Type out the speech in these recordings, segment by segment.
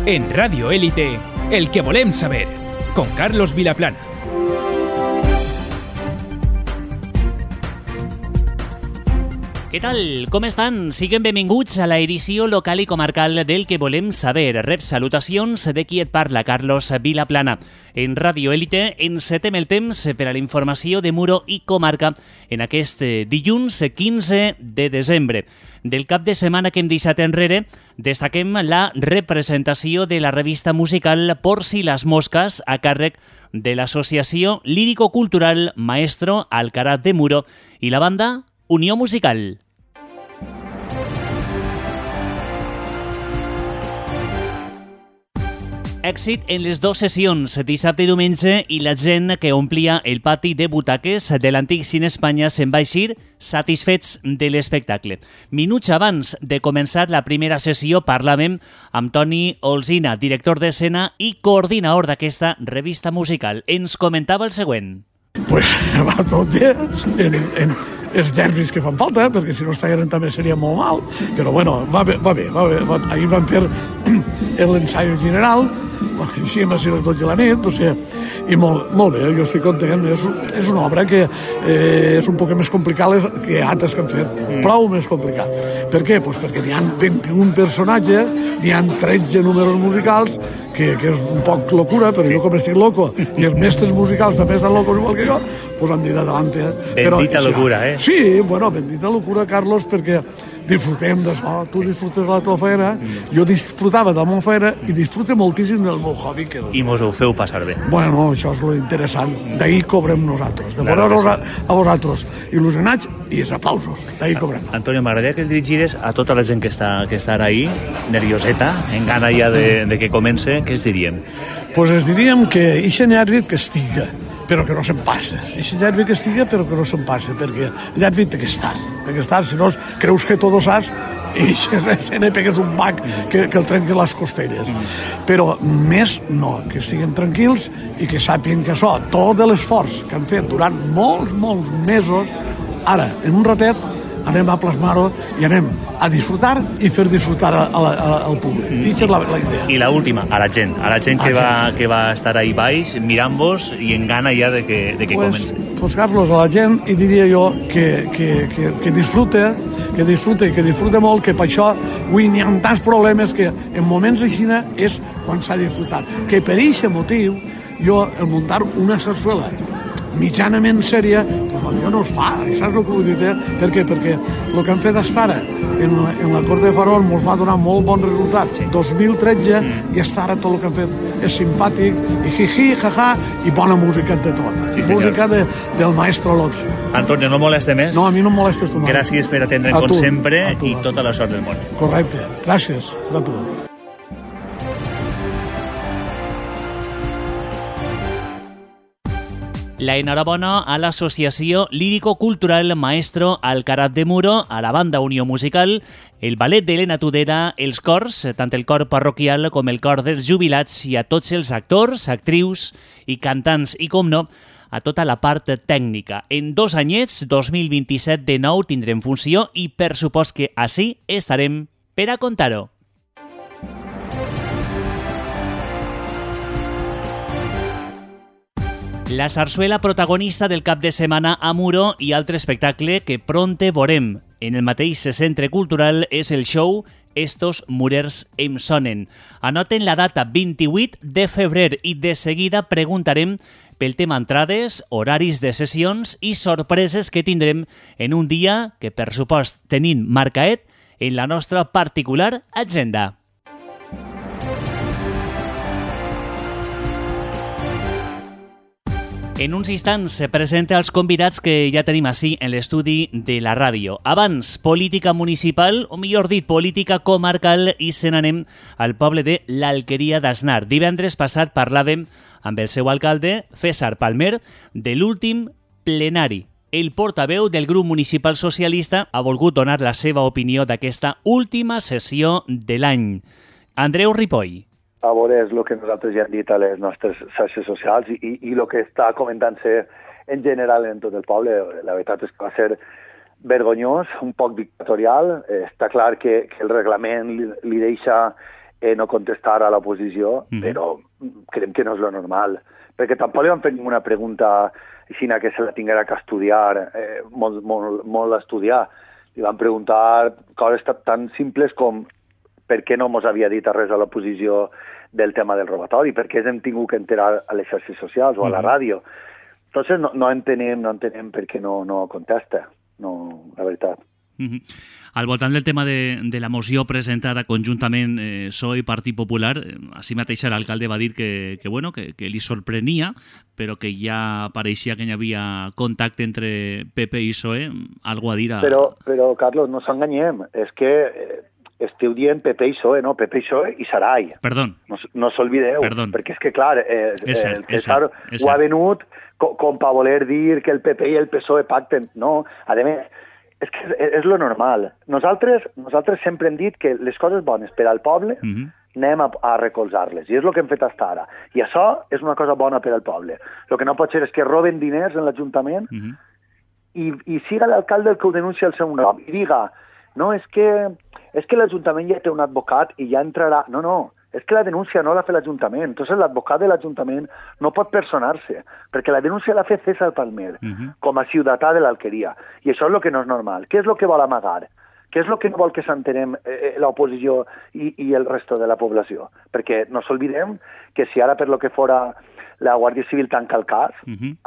En Radio Élite, el que volem saber, con Carlos Vilaplana. Què tal? Com estan? Siguen benvinguts a la edició local i comarcal del que volem saber. Rep salutacions de qui et parla, Carlos Vilaplana. En Radio Élite encetem el temps per a la informació de Muro i comarca en aquest dilluns 15 de desembre. Del cap de setmana que hem deixat enrere, destaquem la representació de la revista musical Por si las moscas a càrrec de l'associació lírico-cultural Maestro Alcaraz de Muro i la banda Unió Musical. Èxit en les dues sessions, dissabte i diumenge, i la gent que omplia el pati de butaques de l'antic Cine Espanya se'n va eixir satisfets de l'espectacle. Minuts abans de començar la primera sessió parlàvem amb Toni Olzina, director d'escena i coordinador d'aquesta revista musical. Ens comentava el següent. Pues va tot bé, els nervis que fan falta, perquè si no estigueren també seria molt mal, però bueno, va bé. Ahir van fer l'ensaio general, així hem estat les 12 de la nit, o sigui, i molt bé, jo estic content. És una obra que és un poc més complicada que altres que han fet, prou més complicat. Per què? Pues perquè n'hi ha 21 personatges, n'hi ha 13 números musicals, que és un poc locura, però jo com estic loco, i els mestres musicals també estan locos igual que jo, pues han dit adelante. Bendita locura, eh? Sí, bueno, bendita locura, Carlos, perquè disfrutem d'això, tu disfrutes de la teva feina, jo disfrutava de la meva feina i disfrute moltíssim del meu hobby. I mos ho feu passar bé. Bueno, això és lo interessant, d'ahir cobrem nosaltres, de veure a vosaltres il·lusionats i els aplausos, d'ahir cobrem. Antonio, m'agradaria que el dirigires a tota la gent que està ara ahí, nervioseta, en gana ja de que comence, què es diríem? Pues es diríem que eixe nervi que estiga, però que no se'n passa. Eixe nervi que estiga, però que no se'n passa, perquè el nervi té que estar, si no creus que tot ho saps i se ne pegues un bac que el trenqui les costelles. Però més no, que estiguen tranquils i que sàpien que això, tot l'esforç que han fet durant molts mesos, ara, en un ratet, anem a plasmar-ho i anem a disfrutar i fer disfrutar al públic. Aquesta és la idea. I l'última, a la gent que va estar ahí baix, mirant-vos i en gana ja de que comenci. Pues Carlos, a la gent hi diria jo que disfrute molt, que per això avui n'hi ha tants problemes que en moments així és quan s'ha disfrutat. Que per aquest motiu jo, el muntar una sarsuela mitjanament sèria, doncs potser no es fa, i saps el que vull dir? Per què? Perquè el que han fet estar en la Cort de Farol ens va donar molt bon resultat. 2013 i estar ara tot el que han fet és simpàtic, i jiji, jaja, i bona música de tot. Sí, música del maestro Lotz. Antonio, no moleste més? No, a mi no em molestes tu mai. Gràcies per atendre'm com sempre i tota la sort del món. Correcte, gràcies a tu. La enhorabona a l'associació lírico-cultural Maestro Alcaraz de Muro, a la banda Unió Musical, el ballet d'Helena Tudela, els cors, tant el cor parroquial com el cor dels jubilats, i a tots els actors, actrius i cantants, i com no, a tota la part tècnica. En 2 anyets, 2027 de nou, tindrem funció i per supost que així estarem per a contar-ho. La sarsuela protagonista del cap de setmana a Muro i altre espectacle que pronte veurem en el mateix centre cultural és el show Estos murers em sonen. Anoten la data 28 de febrer i de seguida preguntarem pel tema entrades, horaris de sessions i sorpreses que tindrem en un dia que, per supost, tenim marcaet en la nostra particular agenda. En uns instants se presenta els convidats que ja tenim així en l'estudi de la ràdio. Abans, política municipal, o millor dit, política comarcal, i se n'anem al poble de l'Alqueria d'Asnar. Divendres passat parlàvem amb el seu alcalde, César Palmer, de l'últim plenari. El portaveu del grup municipal socialista ha volgut donar la seva opinió d'aquesta última sessió de l'any. Andreu Ripoll. A veure, és el que nosaltres ja hem dit a les nostres xarxes socials i el que està comentant-se en general en tot el poble. La veritat és que va ser vergonyós, un poc dictatorial. Està clar que el reglament li deixa no contestar a l'oposició, però creiem que no és lo normal, perquè tampoc li van fer ninguna pregunta així que se la tinguera que estudiar, molt estudiar. Li van preguntar coses tan simples com per què no mos havia dit res a l'oposició del tema del robatori, per què ens hem tingut que enterar a les xarxes socials o a la ràdio. Entonces no entenem per què no contesta, no, la veritat. Al voltant del tema de la moció presentada conjuntament PSOE i Partit Popular, així mateix l'alcalde va dir que li sorprenia, però que ja pareixia que hi havia contacte entre PP i PSOE, algo a dir a... Però Carlos, no s'enganyem, és que esteu dient PP i PSOE, no? PP i PSOE i Sarai. Perdó. No s'olvideu, perquè és que, clar, el César ho ha venut com per voler dir que el PP i el PSOE pacten. No, a més, és que és lo normal. Nosaltres sempre hem dit que les coses bones per al poble anem a recolzar-les, i és el que hem fet fins ara. I això és una cosa bona per al poble. El que no pot ser és que roben diners en l'Ajuntament i siga l'alcalde el que ho denuncia el seu nom i diga, no, és que l'Ajuntament ja té un advocat i ja entrarà... No, és que la denúncia no la fa l'Ajuntament. Entonces l'advocat de l'Ajuntament no pot personar-se, perquè la denúncia l'ha fet César Palmer, com a ciutadà de l'Alqueria. I això és el que no és normal. Què és el que vol amagar? Què és el que no vol que s'entenem l'oposició i el resto de la població? Perquè no s'olvidem que si ara per lo que fora la Guàrdia Civil tanca el cas,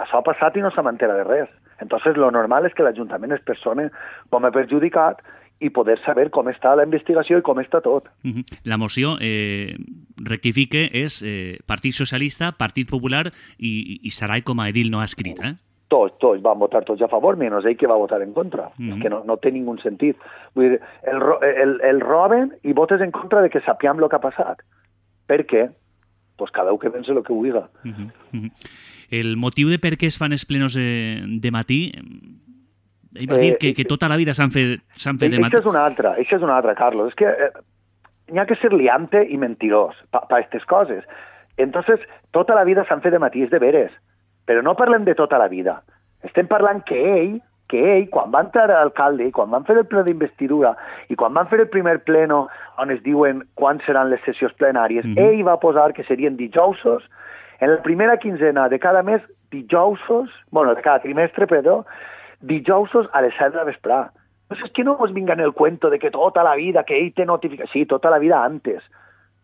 això ha passat i no se m'entera de res. Entonces lo normal és que l'Ajuntament es persone com a perjudicat i poder saber com està la investigació i com està tot. La moció, rectifique, és Partit Socialista, Partit Popular i Sarai com a edil no ha escrit, eh? Tots van votar tots a favor, menys ell que va votar en contra. És que no té ningú sentit. Vull dir, el roben i votes en contra de que sapiem el que ha passat. Per què? Pues cada un que pense el que vulgui. El motiu de per què es fan els plenos de matí... Ell va dir que tota la vida s'han fet de matí. Això és una altra, Carlos. És que n'hi ha que ser liante i mentirós per aquestes coses. Entonces, tota la vida s'han fet de matí, és de veres. Però no parlem de tota la vida. Estem parlant que ell, quan va entrar alcalde, quan van fer el ple d'investidura i quan van fer el primer pleno on es diuen quan seran les sessions plenàries, ell va posar que serien dijousos, en la primera quinzena de cada mes, de cada trimestre, dijousos a les 7 de la vesprà. Pues és que no us vinga en el cuento de que tota la vida, que ell té notificació. Sí, tota la vida antes.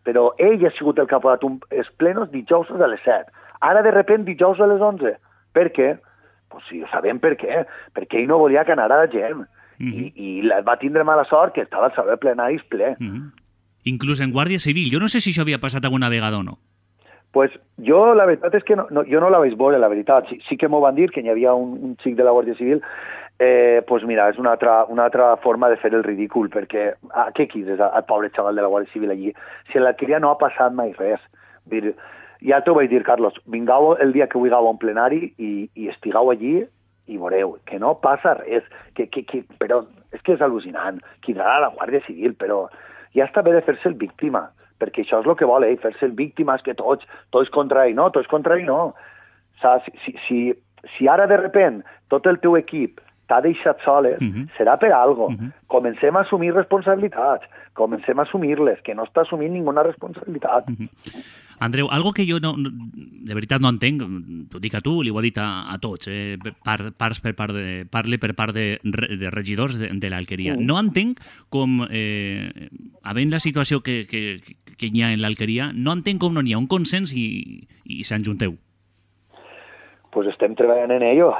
Però ell ha sigut el que ha posat els plenos dijousos a les 7. Ara, de repente, dijous a les 11. Per què? Pues sí, sabem per què. Perquè ell no volia que anara la gent. I va tindre mala sort que estava el saló de plenaris ple. Inclús en Guàrdia Civil. Jo no sé si això havia passat alguna vegada o no. Pues jo, la veritat és que jo no la vaig veure, la veritat. Sí que m'ho van dir, que hi havia un xic de la Guàrdia Civil. Pues mira, és una altra forma de fer el ridícul, perquè què quises al pobre xaval de la Guàrdia Civil allí? Si en l'Alqueria no ha passat mai res. Dir, ja t'ho vaig dir, Carlos, vingau el dia que vulgueu a un plenari i estigueu allí i veureu que no passa res. Però és que és al·lucinant. Cridarà a la Guàrdia Civil, però ja està bé de fer-se el víctima, perquè això és el que vol, fer-se el víctima, és que tots contra ell. No, tots contra ell no. Si ara de repente tot el teu equip t'ha deixat soles, serà per algo. Comencem a assumir responsabilitats, comencem a assumir-les, que no està assumint ninguna responsabilitat. Andreu, algo que jo de veritat no entenc, t'ho dic a tu, li ho he dit a tots, parle per part de regidors de l'Alqueria. No entenc com, havent la situació que hi ha en l'Alqueria, no entenc com no hi ha un consens i s'enjunteu. Pues estem treballant en ello,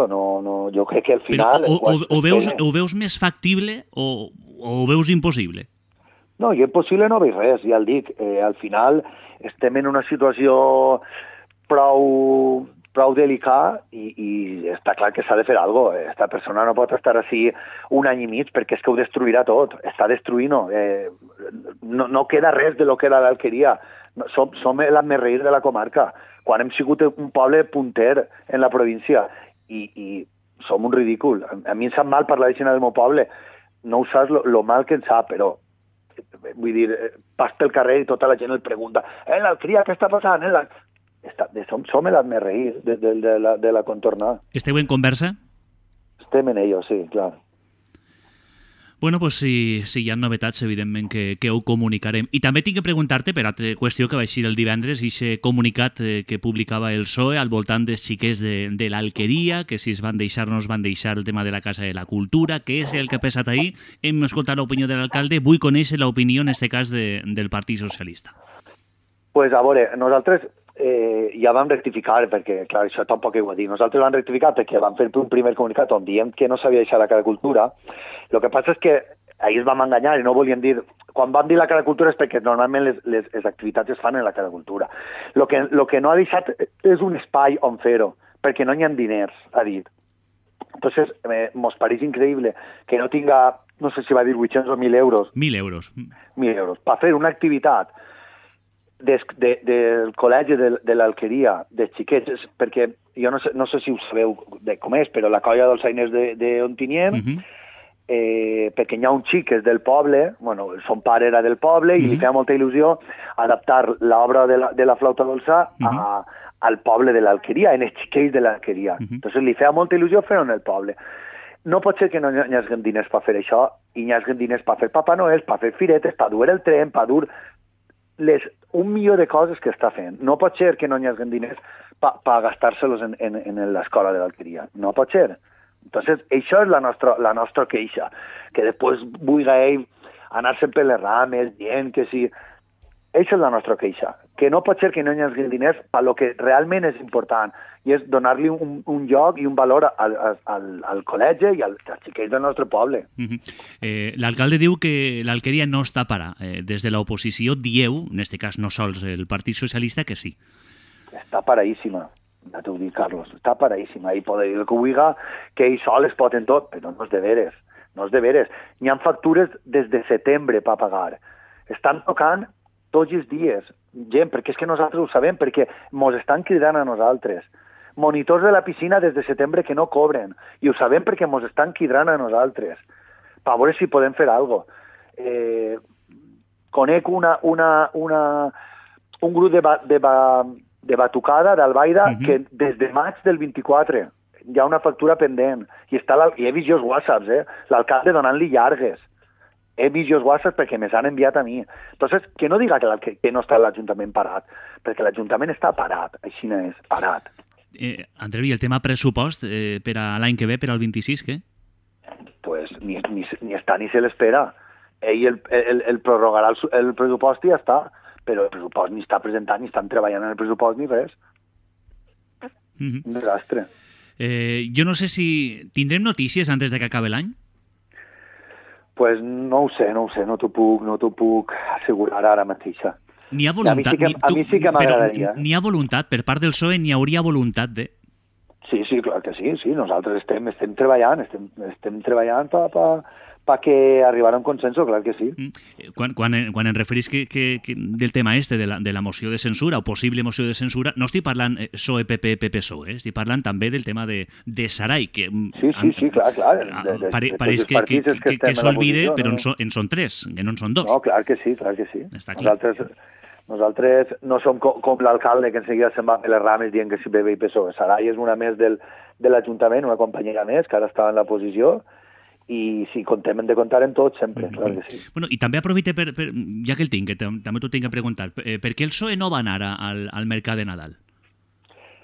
no, jo crec que al final... Però ho veus més factible o ho veus impossible? No, jo impossible no veig res, ja el dic. Al final estem en una situació prou delicada i està clar que s'ha de fer alguna cosa. Esta persona no pot estar així un any i mig perquè és que ho destruirà tot. Està destruint-ho. No queda res de lo que era l'Alqueria. Som l'asmerreír de la comarca. Quan hem sigut un poble punter en la província i som un ridícul. A mi em sap mal parlar d'això del meu poble. No ho saps lo mal que em sap, però vull dir, pas pel carrer i tota la gent el pregunta l'Alqueria, què està passant? Som l'asmerreír de la contornada. Esteu en conversa? Estem en ello, sí, clar. Bueno, pues si hi ha novetats, evidentment que ho comunicarem. I també tinc que preguntar-te, per altra qüestió que va eixir el divendres, aquest comunicat que publicava el PSOE al voltant dels xiquets de l'Alqueria, que si es van deixar o no es van deixar el tema de la Casa de la Cultura, què és el que ha passat ahir. Hem escoltat l'opinió de l'alcalde, vull conèixer l'opinió, en aquest cas, del Partit Socialista. Pues a veure, nosaltres ja vam rectificar, perquè, clar, això tampoc ho he dit. Nosaltres vam rectificar perquè vam fer un primer comunicat on diem que no s'havia deixat la Casa de Cultura. El que passa és que ahir es vam enganyar i no volíem dir... Quan vam dir la Casa de Cultura és perquè normalment les activitats es fan en la Casa de Cultura. Lo que no ha deixat és un espai on fer-ho, perquè no hi ha diners, ha dit. Entonces, mos pareix increïble que no tinga, no sé si va dir 800 o 1.000 euros. 1.000 euros. 1.000 euros. Per fer una activitat del col·legi de l'Alqueria, de xiquets, perquè jo no sé si ho sabeu com és, però la colla dels Ainers d'Ontinyent, perquè hi ha un xic que és del poble, bueno, son pare era del poble, i li feia molta il·lusió adaptar l'obra de la flauta dolça al poble de l'Alqueria, en els xiquets de l'Alqueria. Entonces li feia molta il·lusió fer-ho en el poble. No pot ser que no hi hagi diners per fer això, i hi hagi diners per fer Papa Noel, per fer firetes, per dur el tren, per dur un milió de coses que està fent. No pot ser que no hi hagi diners per gastar-se-los en l'escola de l'Alqueria. No pot ser. Entonces, això és la nostra queixa. Que després vulgui ell anar-se'n per les rames, dient que sí... Això és la nostra queixa. Que no pot ser que no hi hagi diners per lo que realment és important, i és donar-li un lloc i un valor al col·legi i als xiquets del nostre poble. L'alcalde diu que l'Alqueria no està para. Des de l'oposició dieu, en aquest cas no sols el Partit Socialista, que sí. Està paradíssima, ja t'ho dic, Carlos. Està paradíssima. I poder dir el que vulgui, que ell sol es pot en tot, però no és de veres. No és de veres. N'hi ha factures des de setembre per pagar. Estan tocant tots els dies, gent, perquè és que nosaltres ho sabem, perquè mos estan cridant a nosaltres. Monitors de la piscina des de setembre que no cobren, i ho sabem perquè mos estan cridant a nosaltres, per veure si podem fer alguna cosa. Conec un grup de batucada d'Albaida que des de maig del 24 hi ha una factura pendent, i he vist els whatsapps, l'alcalde donant-li llargues. He vist els whatsapps perquè me s'han enviat a mi. Entonces, que no diga que no està l'Ajuntament parat, perquè l'Ajuntament està parat, així no és, parat. Andreu, i el tema pressupost per a l'any que ve, per al 26, què? Pues ni està ni se l'espera. Ell el prorrogarà el pressupost i ja està, però el pressupost ni està presentat, ni estan treballant en el pressupost, ni res. Un desastre. Jo no sé si tindrem notícies antes de que acabi l'any? Pues no ho sé, no t'ho puc assegurar ara mateixa. N'hi ha voluntat. A mi sí que m'agradaria. N'hi ha voluntat, per part del PSOE n'hi hauria voluntat de... Sí, clar que sí. Nosaltres estem treballant, perquè arribarà a un consenso, clar que sí. Quan em referís del tema de la moció de censura, o possible moció de censura, no estic parlant PSOE, PP, PSOE, estic parlant també del tema de Sarai, que... Sí, clar. Pareix que s'olvide, però en són tres, que no en són dos. No, clar que sí. Nosaltres no som com l'alcalde que enseguida se'n va per les rames dient que si PP i PSOE. Sarai és una més de l'Ajuntament, una companyera més, que ara estava en la posició, i sí, hem de comptar en tot sempre, clar que sí. Bueno, i també aprofite, ja que el tinc, que també t'ho tinc que preguntar, per què el PSOE no va anar al mercat de Nadal?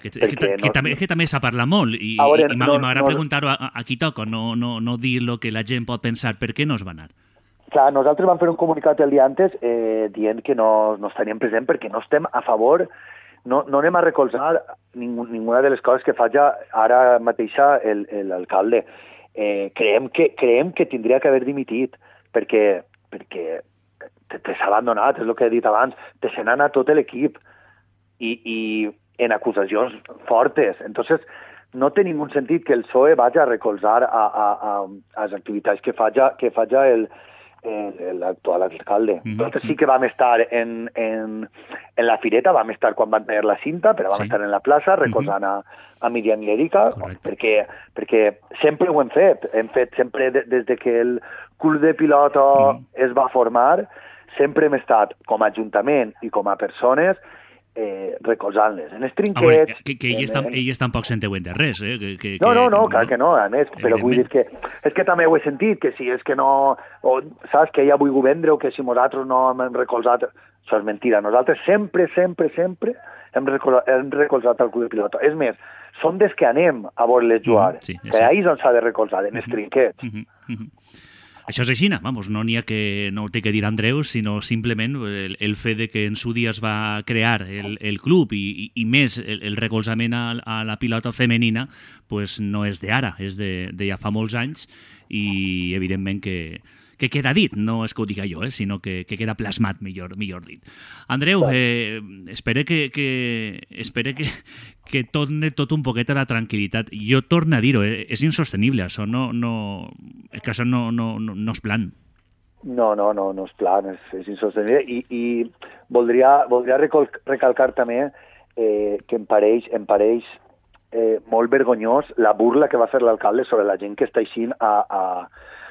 Que també s'ha parlat molt, i m'agrada preguntar-ho a qui toca, no dir el que la gent pot pensar. Per què no es va anar? Clar, nosaltres vam fer un comunicat el dia antes dient que no estaríem present perquè no estem a favor, no anem a recolzar ninguna de les coses que faci ara mateixa l'alcalde. Creiem que tindria que haver dimitit perquè te s'ha abandonat, és el que he dit abans, te se n'ha anat tot l'equip i en acusacions fortes. Entonces, no té ningú sentit que el PSOE vagi a recolzar a les activitats que faci l'actual alcalde. Nosaltres sí que vam estar en la fireta, vam estar quan van tenir la cinta, però vam estar en la plaça recolzant a Míriam i Erika, perquè sempre ho hem fet sempre des de que el club de pilota es va formar, sempre hem estat com a Ajuntament i com a persones recolzant-les. En els trinquets... Que ells tampoc se'n deuen de res, No, clar que no, a més, però vull dir que... És que també ho he sentit, que si és que no... O, saps, que ella vulgui vendre o que si nosaltres no hem recolzat... Això és mentira. Nosaltres sempre hem recolzat el club de pilota. És més, som des que anem a veure-les jugar, que ahir és on s'ha de recolzar, en els trinquets. Això és així, vamos, no n'hi ha que no ho té que dir Andreu, sinó simplement el fet de que en su dia es va crear el club i més el recolzament a la pilota femenina, pues no és d'ara, és de ja fa molts anys i evidentment que queda dit, no és que ho diga jo, sinó que queda plasmat, millor dit. Andreu, espero que torni tot un poquet a la tranquil·litat. Jo torno a dir-ho, és insostenible, això és que això no és plan. No és plan, és insostenible i voldria recalcar també que em pareix molt vergonyós la burla que va fer l'alcalde sobre la gent que està així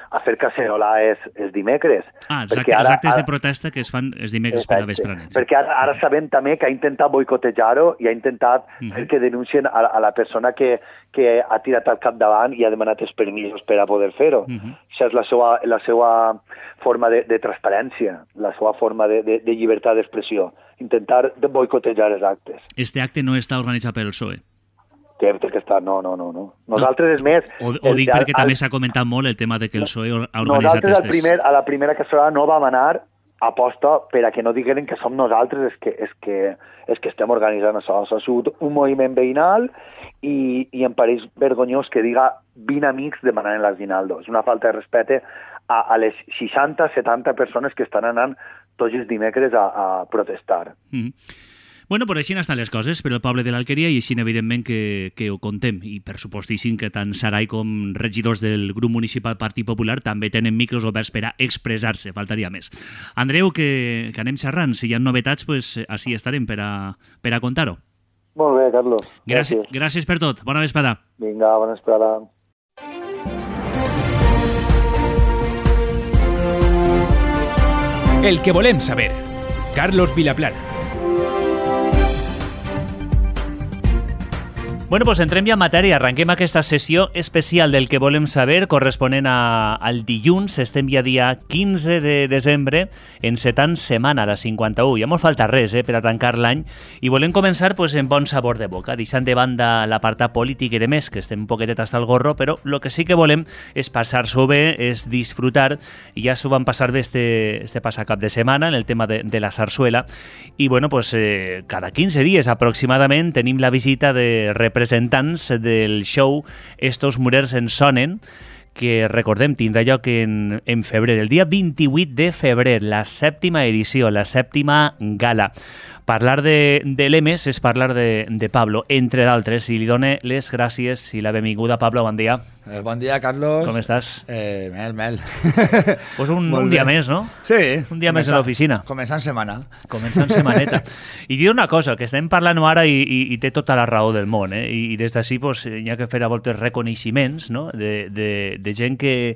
a fer cacerolar els dimecres. Els actes de protesta que es fan els dimecres per la vesprada. Perquè ara sabem també que ha intentat boicotejar-ho i ha intentat fer que denuncien a la persona que ha tirat al capdavant i ha demanat els permisos per a poder fer-ho. Això és la seva forma de transparència, la seva forma de llibertat d'expressió. Intentar boicotejar els actes. Este acte no està organitzat pel PSOE? Que està... No. Nosaltres, és més... Ho dic perquè també s'ha comentat molt el tema de que el PSOE ha organitzat... Nosaltres a la primera cassolada no vam anar a posta per a que no digueren que som nosaltres és que estem organitzant això. Ha sigut un moviment veïnal i em pareix vergonyós que diga 20 amics demanant l'aguinaldo. És una falta de respecte a les 60-70 persones que estan anant tots els dimecres a protestar. Bueno, per així estan les coses per al poble de l'Alqueria i així evidentment que ho contem i per supostíssim que tant Sarai com regidors del grup municipal Partit Popular també tenen micros oberts per a expressar-se, faltaria més. Andreu, que anem xerrant, si hi ha novetats, pues així estarem per a contar-ho. Molt bé, Carlos. Gràcies per tot, bona vesprada. Vinga, bona vesprada. El que volem saber. Carlos Vilaplana. Bueno, pues entrem ja en matèria. Arrenquem aquesta sessió especial del que volem saber corresponent al dilluns. Estem ja dia 15 de desembre, encetant setmana, la 51. Ja mos falta res per a tancar l'any i volem començar pues, en bon sabor de boca, deixant de banda l'apartat polític i de més, que estem un poquetet hasta el gorro, però el que sí que volem és passar-s'ho bé, és disfrutar, i ja s'ho van passar bé este passat cap de setmana en el tema de la sarsuela, i bueno, pues, cada 15 dies aproximadament tenim la visita de representants del show Estos Murers en Sonen, que recordem tindrà lloc en febrer, el dia 28 de febrer, la 7ª edició, la 7ª gala. Parlar de l'EMES és parlar de Pablo, entre d'altres, i li done les gràcies i la benvinguda. Pablo, bon dia. Bon dia, Carlos. Com estàs? Mel. Pues un dia més, no? Sí. Un dia més a l'oficina. Començant setmana. Començant setmaneta. I dir una cosa, que estem parlant ara i té tota la raó del món, i des d'ací pues, hi ha que fer a voltes reconeixements, no? de gent que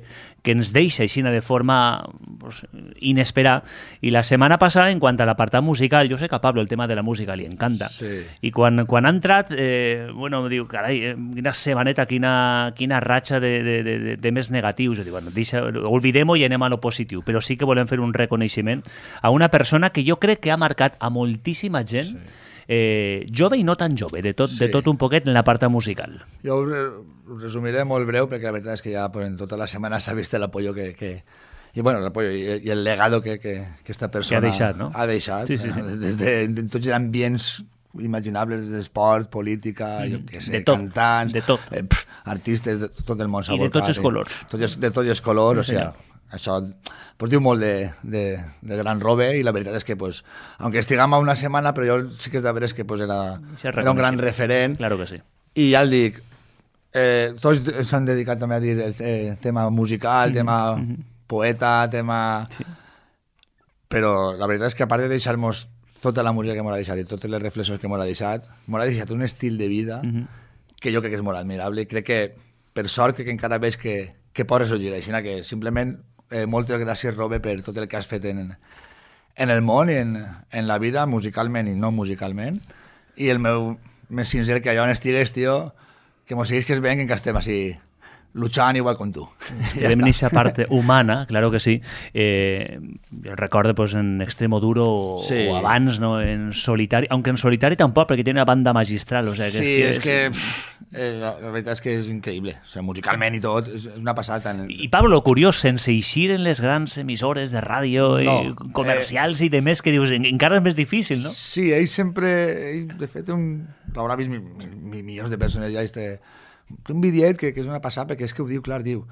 ens deixa així de forma pues, inesperada. I la setmana passada, en quant a l'apartat musical, jo sé que a Pablo el tema de la música li encanta. Sí. I quan ha entrat, bueno, diu, carai, quina setmaneta, quina ratxa de més negatius. Jo dic, bueno, oblidem-ho i anem a lo positiu. Però sí que volem fer un reconeixement a una persona que jo crec que ha marcat a moltíssima gent, jove i no tan jove, de tot un poquet en l'apartat musical. Jo ho resumiré molt breu, perquè la veritat és que ja en tota la setmana s'ha vist l'apoyo i bueno, l'apoyo i el legado que esta persona que ha deixat, no? Ha deixat, sí. Des de tots els ambients imaginables d'esport, política, jo què sé, cantants, artistes, de tot el món s'ha volcat. I de tots els colors. De tots els colors, o sigui, això pues, diu molt de gran robe, i la veritat és que, pues, aunque estiguem a una setmana, però jo sí que és de veres que pues, era un gran referent. Claro que sí. I ja el dic, tots s'han dedicat també a dir el tema musical, tema poeta, tema... Sí. Però la veritat és que a part de deixar-nos tota la música que m'ha deixat i totes les reflexions que m'ha deixat un estil de vida que jo crec que és molt admirable, i crec que per sort que encara veig que pot ressorgir, així que simplement moltes gràcies, Robe, per tot el que has fet en en el món i en la vida, musicalment i no musicalment, i el meu més sincer que allà on estigues, tio, que mos seguís que es veient que estem així luchant igual com tu. En esa parte humana, claro que sí. Yo recuerdo pues en Extremo Duro o abans, ¿no? En Solitari, aunque en Solitari tampoco, porque tiene una banda magistral. O sea, que la veritat és que és increïble. O sigui, musicalment i tot, és una passada. I Pablo, curiós, sense eixir en les grans emissores de ràdio comercials i de més, que dius, encara és més difícil, no? Sí, ell sempre, de fet, l'haurà vist milions de persones ja, té un videet que és una passada, perquè és que ho diu clar, diu,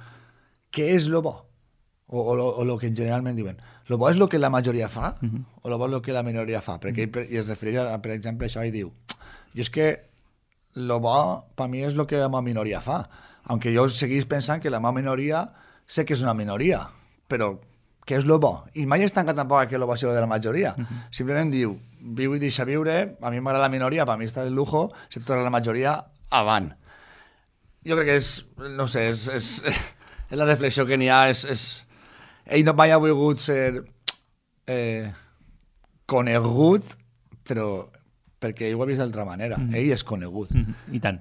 què és lo bo? O lo que generalment diuen. Lo bo és lo que la majoria fa, o lo bo és lo que la minoria fa? Perquè ell es refereix, per exemple, a això i diu, i és que lo bo, per mi, és lo que la meva minoria fa. Aunque jo seguís pensant que la meva minoria sé que és una minoria, però què és lo bo? I mai es tanca tampoc que lo bo sigui de la majoria. Simplement diu, viu i deixa viure, a mi m'agrada la minoria, per mi està de lujo, si t'agrada la majoria, avant. Jo crec que és, no sé, és la reflexió que n'hi ha, ell no mai ha volgut ser conegut, però perquè ell ho ha vist d'altra manera. Ell és conegut. I tant.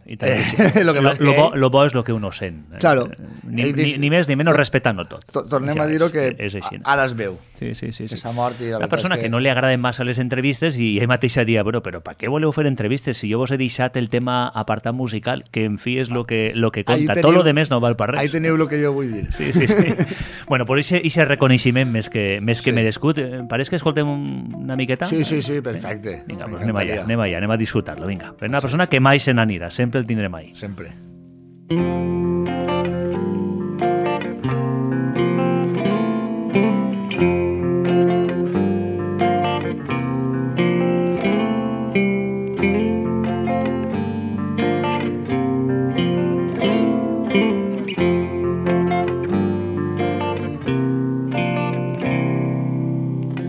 Lo bo és lo que uno sent. Claro. Ni més ni menys respectant-ho tot. Tornem a dir-ho que ara es veu. Sí. Que s'ha mort i la persona que no li agraden massa les entrevistes i ell mateixa dia, però per què voleu fer entrevistes si jo vos he deixat el tema apartat musical, que en fi és lo que compta. Tot lo demés no val per res. Ahí teniu lo que jo vull dir. Sí. Bueno, per aquest reconeixement més que merescut, pareix que escoltem una miqueta? Sí, perfecte. Vinga, pues anem a disfrutar-lo, vinga. Per una persona que mai se n'anirà, sempre el tindrem ahí. Sempre.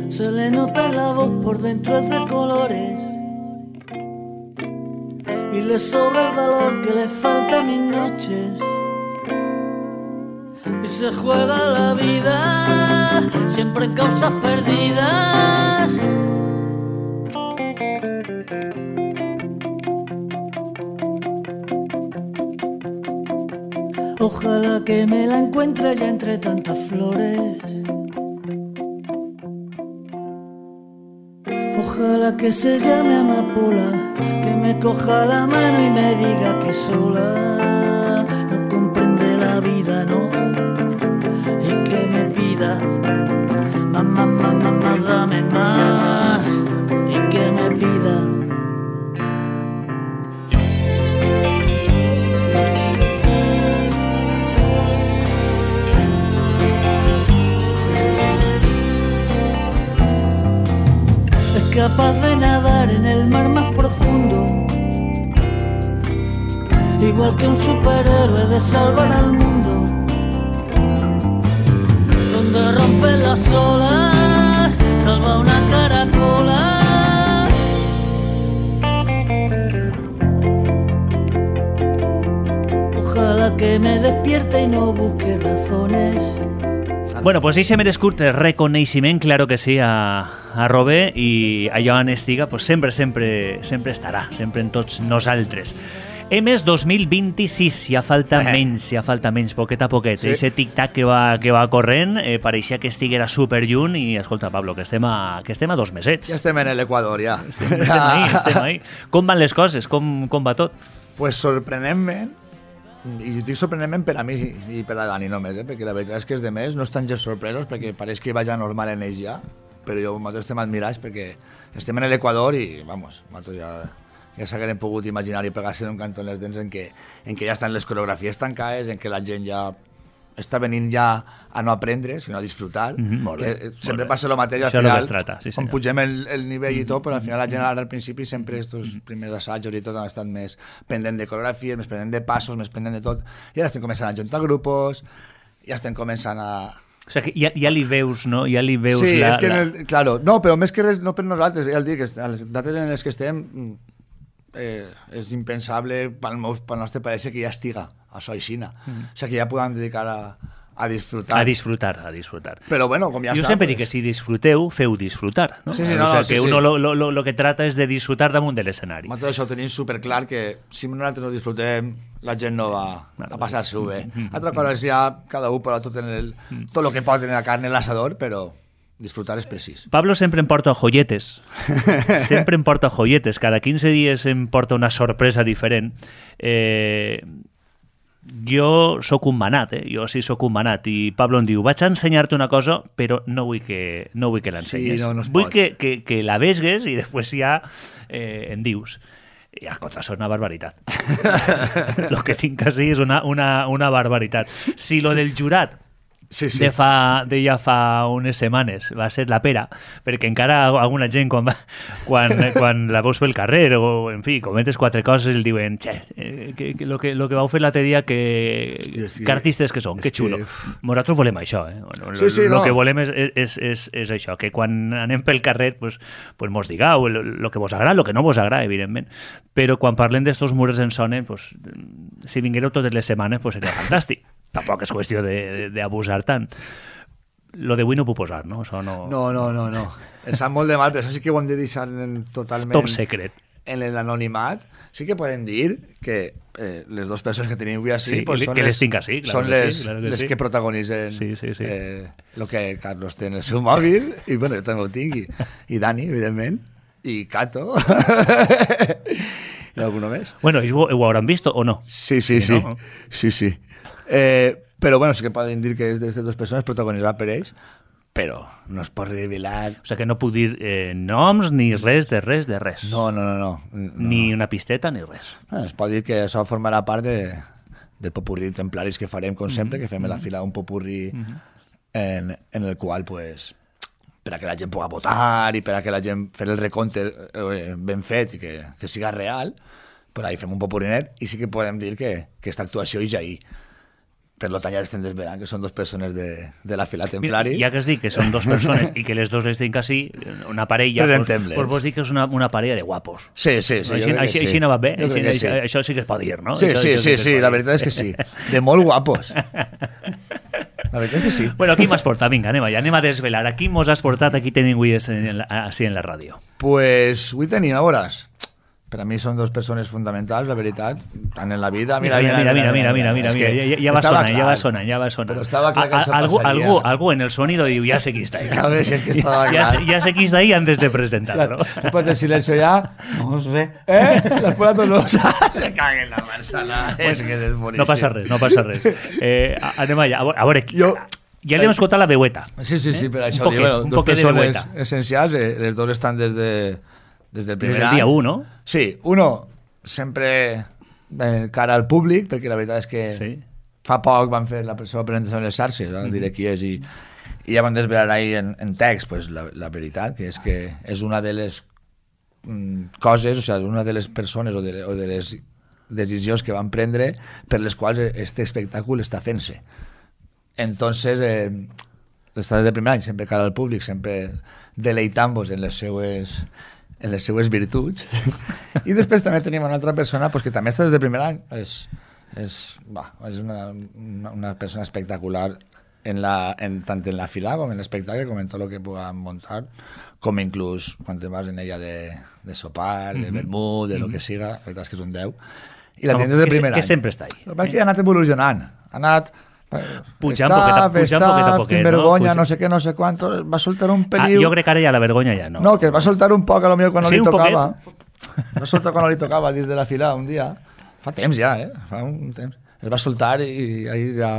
Se le nota la voz por dentro es de colores y le sobra el valor que le falta a mis noches. Y se juega la vida siempre en causas perdidas. Ojalá que me la encuentre ya entre tantas flores. Ojalá que se llame amapola, que me coja la mano y me diga que sola no comprende la vida, no, y que me pida más, dame más, y que me pida. Capaz de nadar en el mar más profundo, igual que un superhéroe de salvar al mundo, donde rompen las olas, salva una caracola. Ojalá que me despierte y no busque razones. Bueno, pues ese merescut reconeixement, claro que sí, a Robé, i allò on estiga, pues sempre estarà, sempre en tots nosaltres. Mes 2026, ja falta menys, poquet a poquet. Sí. Ese tic-tac que va corrent, pareixia que estiguera superlluny, i escolta, Pablo, que estem a 2 mesets. Ja estem en l'Equador, ja. Estem ahí. Com van les coses? Com va tot? Pues sorprenentment, i dic sorprenentment per a mi i per a Dani només, perquè la veritat és que els demés no estan gens sorpresos perquè pareix que vaja normal en ells ja, però nosaltres estem admirats perquè estem en l'Equador i, vamos, nosaltres ja s'hagueren pogut imaginar i pegar-se d'un cantó en les dents en què ja estan les coreografies tancades, en què la gent ja està venint ja a no aprendre, sinó a disfrutar. Sempre passa el mateix al final, quan pugem el nivell i tot, però al final la gent ara al principi sempre estos primers assajos i tot han estat més pendent de coreografies, més pendent de passos, més pendent de tot, i ara estem començant a juntar grupos, ja estem començant a... O sigui, que ja li veus, no? Ja li veus sí, és que, claro, no, però més que res, no per nosaltres, ja el dic, a les dates en les que estem és impensable pel nostre pareixer que ja estiga això aixina. O sigui, que ja podem dedicar a a disfrutar. A disfrutar. Però bueno, com ja jo està... sempre dic que si disfruteu, feu disfrutar. No? Sí, o sea, que uno lo que trata és de disfrutar damunt de l'escenari. Nosaltres això ho tenim superclar, que si nosaltres no disfrutem, la gent no va a passar-s'ho bé. Altra cosa és ja cada un posa tot el que pot en la carn en l'asador, però disfrutar és precís. Pablo sempre em porta joietes. Sempre em porta joietes. Cada 15 dies em porta una sorpresa diferent. Jo sóc un manat, jo sí sóc un manat, i Pablo em diu, vaig a ensenyar-te una cosa, però no vull que l'ensenyes. Sí, no vull que la vesgues i després ja em dius. I escolta, és una barbaritat. Lo que tinc així és una barbaritat. Si lo del jurat de ja fa unes setmanes va ser la pera, perquè encara alguna gent quan la veus pel carrer o, en fi, comentes 4 coses i el diuen, lo que vau fer l'altre dia que artistes que són, que xulo. Nosaltres volem això, lo que volem és això, que quan anem pel carrer pues mos digueu lo que vos agrada, lo que no vos agrada, evidentment, però quan parlem d'estos murs en sonen, pues, si vinguéreu totes les setmanes pues seria fantàstic. Tampoc és qüestió d'abusar tant. Lo d'avui no ho puc posar, no? Això no... No. Em sap molt de mal, però això sí que ho hem de deixar totalment... Top secret. En l'anonimat. Sí que podem dir que les dues persones que tenim avui així pues són les que protagonitzen el que Carlos té en el seu mòbil, i bueno, jo també ho tinc, i Dani, evidentment, i Cato... I alguna més? Bueno, ells ho hauran vist o no? Sí. No? Sí. Però bueno, sí que poden dir que és d'aquestes dues persones protagonitzat per ells, però no es pot revelar... O sigui que no puc dir noms ni res de res. No. Ni una pisteta ni res. Es pot dir que això formarà part del popurrí templaris que farem, com sempre, que fem a la fila un popurrí en el qual, pues, per a que la gent pugui votar i per a que la gent fer el recompte ben fet i que siga real, pues ahí fem un popurrinet i sí que podem dir que aquesta actuació és ahir. Per tant, ja estem desvelant que són dues persones de la fila templari. Mira, ja que has dit que són dues persones i que les dues les tinc així, una parella, pues vos dic que és una parella de guapos. Sí. Així no va bé? Això sí que es pot dir, no? Sí, la veritat és que sí. De molt guapos. La veritat és que sí. Bueno, aquí m'has portat? Vinga, anem a desvelar. Aquí mos has portat, aquí tenim avui així en la ràdio. Pues avui tenim, a veuràs. Per a mi són dues persones fonamentals, la veritat, tant en la vida... Mira, ja va sonant. Però estava clar que això passaria. Algú en el sonido diu, ya sé qui està ahí. A ver, si es que estaba clar. Ya sé qui està ahí antes de presentarlo. Después del silencio ya, no sé, después de todos se caguen la Marsala. És que és boníssim. No passa res. Anem allà, a veure... Ja li hem escoltat la veueta. Sí, per això dic, dos persones essencials, les dos estan des del primer any. Dia 1, no? Sí, uno sempre cara al públic, perquè la veritat és que fa poc van fer la seva presentació en les xarxes, ara diré qui és, i ja van desvelar ahir en text pues, la veritat, que és una de les coses, o sigui, una de les persones o de les decisions que van prendre per les quals este espectacle està fent-se. Entonces, està des del primer any, sempre cara al públic, sempre deleitant-vos en les seues virtuts. I després també tenim una altra persona pues, que també està des del primer any. És una persona espectacular tant en la fila com en l'espectacle, com en tot el que puguem muntar, com inclús quan te vas en ella de sopar, de vermut, de lo que siga, la veritat és que és un 10. I la tenim des del primer any. Que sempre està ahí. Perquè ha anat evolucionant. Ha anat... Pujant poquet a poquet, sin vergonya, no sé què, no sé quant, va soltar un peliu... jo crec que ara ja la vergonya ja no. No, que va soltar un poc a lo millor quan no li tocava. Va soltar quan no li tocava dins de la fila un dia. Fa temps ja, fa un temps. Es va soltar i ahí ja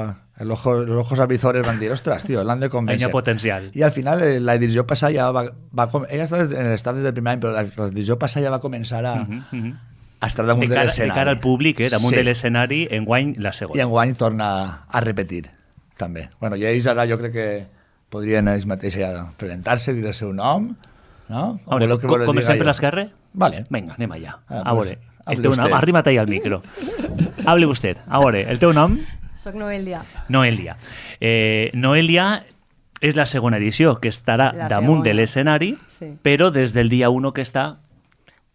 los ojos avizores van dir, ostres, tio, l'han de convèncer. Hay potencial. I al final la edició passada ja va ella està en l'estat des del primer any, però la edició passada ja va començar a estar damunt de l'escenari. De cara al públic, damunt de l'escenari, enguany la segona. I enguany torna a repetir, també. Bueno, i ells ara jo crec que podrien ells mateixos ja presentar-se, dir el seu nom, no? Comencem per l'esquerra? Vale. Vinga, anem allà. A veure, el teu nom, arrima't ahí al micro. Hable usted. A veure, el teu nom? Soc Noelia. Noelia és la segona edició, que estarà damunt de l'escenari, però des del dia 1 que està...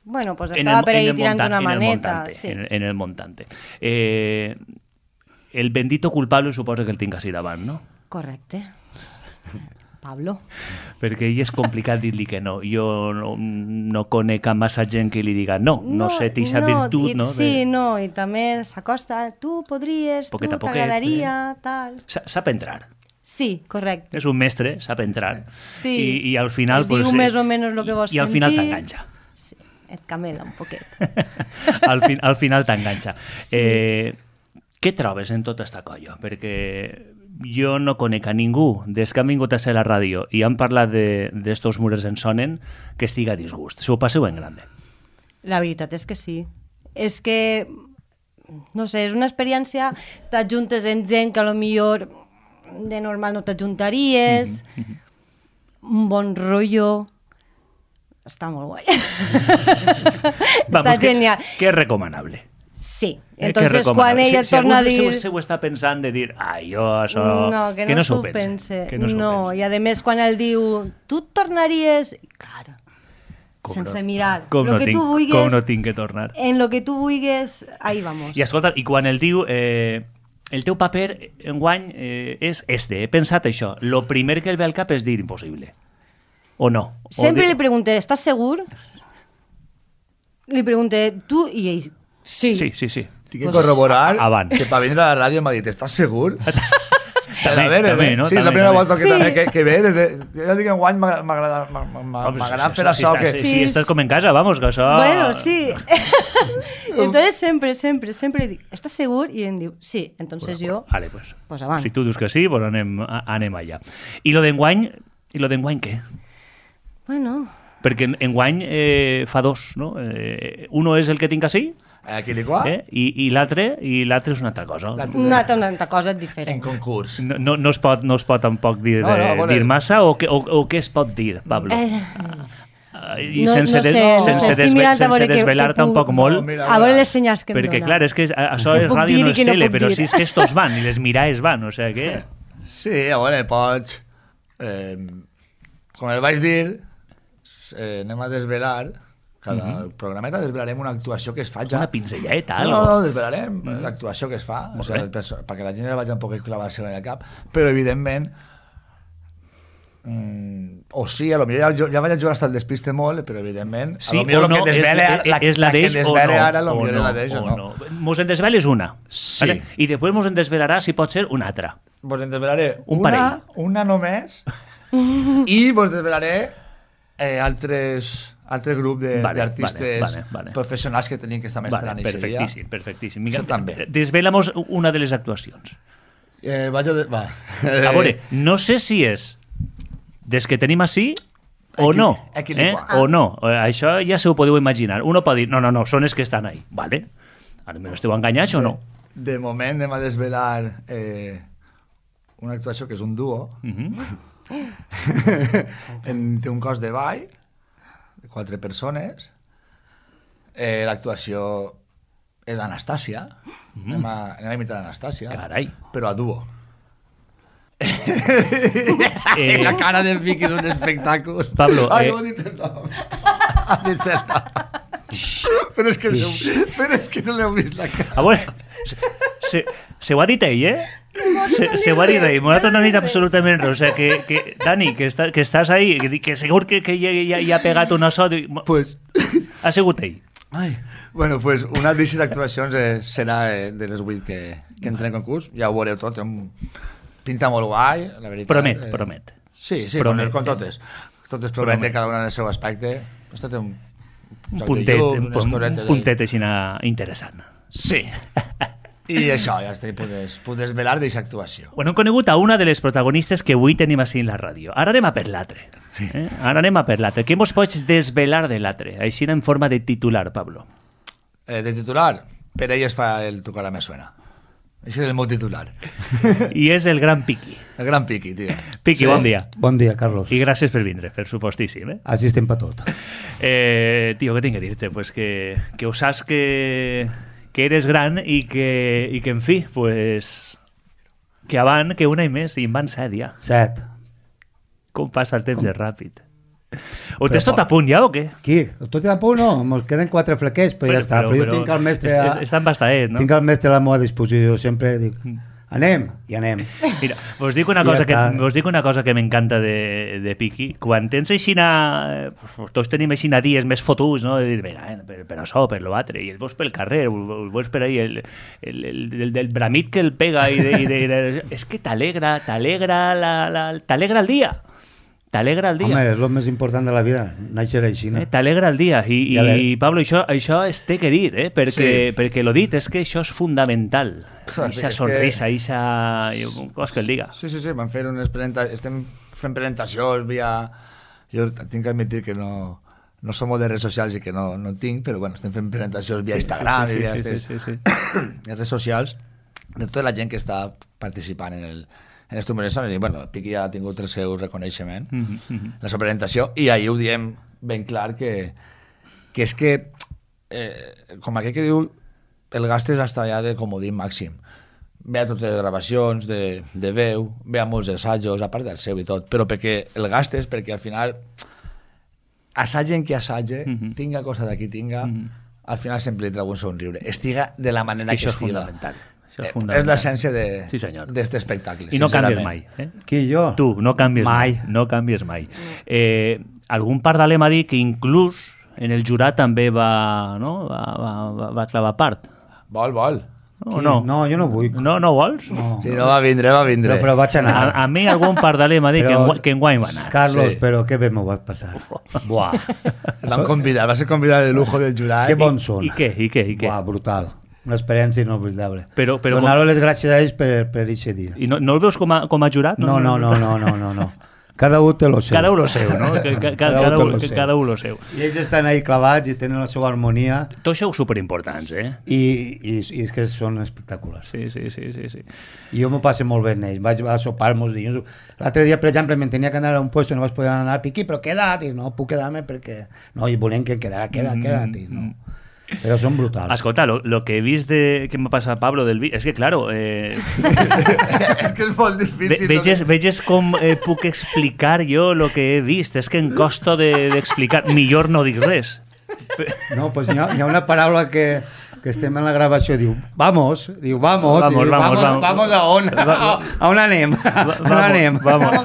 Bueno, pues estaba por ahí tirando una maneta. En el montante. el bendito culpable suposa que el tinc així davant, no? Correcte. Pablo. Perquè ell és complicat dir-li que no. Jo no conec a massa gent que li diga no sé, t'ixa virtut, no? Sí, no, i també s'acosta, tu podries, tu t'agradaria, tal... Sap entrar. Sí, correcte. És un mestre, sap entrar. Sí. I al final... Diu més o menys el que vols sentir. I al final t'enganxa. Sí, et camela un poquet. Al final t'enganxa. Sí. Què trobes en tota esta colla? Perquè jo no conec a ningú des que han vingut a ser a la ràdio i han parlat d'estos mures en sonen que estiga a disgust. S'ho passeu en grande. La veritat és que sí. És que, no sé, és una experiència, t'ajuntes en gent que potser de normal no t'ajuntaries, un bon rotllo, està molt guai. Està genial. Que és recomanable. Sí, entonces quan ella torna a dir... Si algú està pensant de dir, jo això... No, que no s'ho pense. No, i a més quan ell diu, tu et tornaries... Clar, sense mirar. Com no tinc que tornar. En lo que tu vulguis, ahí vamos. I escolta, i quan el diu... El teu paper enguany és este. He pensat això. Lo primer que el ve al cap és dir impossible. O no? Sempre li pregunté, ¿estás segur? Li pregunté, tu i ell... Sí. Sí. Tinc que corroborar que per vindre a la ràdio m'ha dit, ¿estàs segur? També, no? Sí, és la primera volta que ve. Jo dic, enguany m'agrada fer això. Sí, estàs com en casa, vamos, que això... Bueno, sí. Entonces sempre dic, ¿estás segur? I em diu, sí. Entonces jo... Vale, pues avant. Si tu dius que sí, pues anem allà. I lo d'enguany què? Bueno... Perquè enguany fa dos, no? Uno és el que tinc així, i l'altre és una altra cosa. Una altra cosa diferent. En concurs. No es pot tampoc dir massa, o què es pot dir, Pablo? I sense desvelar tampoc molt. A veure les senyals que em dona. Perquè, clar, és que això és ràdio, no és tele, però sí és que estos van, i les mirades van, o sigui que... Sí, a veure, pots... Com el vaig dir, anem a desvelar... Cada programeta desvelarem una actuació que es fa ja. Una pinzelleta, No, desvelarem l'actuació que es fa, perquè la gent ja vagi un poc clavar-se en el cap, però evidentment o sí, a lo millor ja vaig a jugar hasta el despiste molt, però evidentment a lo millor el que desvele la que desvele ara a lo millor és la d'ells o no. Mos en desveles una, sí. I després mos en desvelarà, si pot ser, una altra. Vos en desvelaré una només i vos desvelaré altre grup d'artistes professionals que tenim que estar mestrant perfectíssim. Desvela'mos una de les actuacions. A veure, no sé si és des que tenim així o no. O no. Això ja se ho podeu imaginar. Uno pot dir, no, són els que estan ahí. Vale. Ara m'esteu enganyats o no? De moment anem a desvelar una actuació que és un duo. Té un cos de ball de 4 persones. L'actuació és Anastàcia. Anem a imitar Anastàcia. Carai. Però a duo. La cara de Vicky és un espectacle. Pablo, no dit el nom. Però és que no l'heu vist la cara. A veure, se ho ha dit ell, Se ho ha dit ell, nosaltres no ha dit absolutament res. O sigui, que Dani, que estàs ahí, que segur que ja ha pegat una so... Pues... Ha sigut ell. Bueno, pues una d'aquestes actuacions serà de les 8 que entren en concurs. Ja ho veureu tot. Pinta molt guai, la veritat. Promet. Sí, com totes. Totes prometen cada una en el seu aspecte. Ha estat un puntet així interessant. Sí. I això, ja està, puc desvelar d'aquesta actuació. Bueno, hem conegut a una de les protagonistes que avui tenim així en la ràdio. Ara anem a per l'altre. Què mos pots desvelar de l'altre? Així en forma de titular, Pablo. De titular? Per ell es fa el Tu cara me suena. Això és el meu titular. I és el gran Piqui. El gran Piqui, tio. Piqui, sí. Bon dia. Bon dia, Carlos. I gràcies per vindre, per supostíssim. Així estem per tot. Tio, què tinc a dir-te? Pues que ho saps que eres gran i que en fi, pues, que un any més, i en van 7 ja. 7. Com passa el temps és ràpid. Ho tens tot a punt ja o què? Qui? Tot a punt no, ens queden 4 flequets, però ja està. Però jo tinc el mestre... Està embastadet, no? Tinc el mestre a la meva disposició, sempre dic... Anem, i anem. Mira, us dic una cosa que m'encanta de Piqui. Quan tens aixina... Tots tenim aixina dies més fotuts, no? De dir, vinga, per això, per l'altre. I el veus pel carrer, el veus per ahí, el bramit que el pega és que t'alegra el dia. T'alegra el dia. Home, és el més important de la vida, néixer així, no? T'alegra el dia. I Pablo, això es té que dir, perquè l'ho dit, és que això és fundamental. Ixa sonrisa, ixa... Cos que el diga. Sí, van fer unes presentacions, estem fent presentacions via... Jo tinc que admitir que no som de redes socials i que no tinc, però bueno, estem fent presentacions via Instagram i via redes socials de tota la gent que està participant en les conversacions, i bueno, el Piqui ja ha tingut el seu reconeixement, la seva presentació, i ahir ho diem ben clar que és que, com aquell que diu, el gastes hasta allà de comodín màxim. Ve a totes les gravacions de veu, ve a molts assajos, a part del seu i tot, però perquè el gastes, perquè al final assagen qui assage, tinga cosa d'aquí tinga, al final sempre li treu un somriure. Estiga de la manera que estiga. És l'essència d'aquest espectacle. I no canvies mai. Qui, jo? Tu, no canvies mai. No canvies mai. Algun pardaler m'ha dit que inclús en el jurat també va clavar part. Vol. No, jo no vull. No vols? No. Si no va vindre. Però vaig anar. A mi algun pardaler m'ha dit que enguany va anar. Carlos, però què bé m'ho vas passar. Buah. Va ser convidat de lujo del jurat. Que bons són. I què? Buah, brutal. Una experiència inoblidable. Però donar-los les gràcies a ells per aquest dia. I no el veus com a jurat? No. Cada un té lo seu. Cada un lo seu, no? Cada un lo seu. I ells estan ahí clavats i tenen la seva harmonia. Tots sou superimportants, I és que són espectaculars. Sí. I jo m'ho passo molt bé en ells. Vaig a sopar molts dies. L'altre dia, per exemple, me'n tenia que anar a un lloc i no vaig poder anar a Piqui, però queda't. I no puc quedar-me perquè... No, i volem que quedara, queda't. No. Però són brutals. Escolta, lo que he vist que m'ha passat Pablo del vi... És que, claro... és que és molt difícil. Veges com puc explicar jo lo que he vist. És que em costa d'explicar. Millor no dic res. No, pues hi ha una paraula que estem en la gravació, diu, vamos, vamos a on? A on anem? Vamos.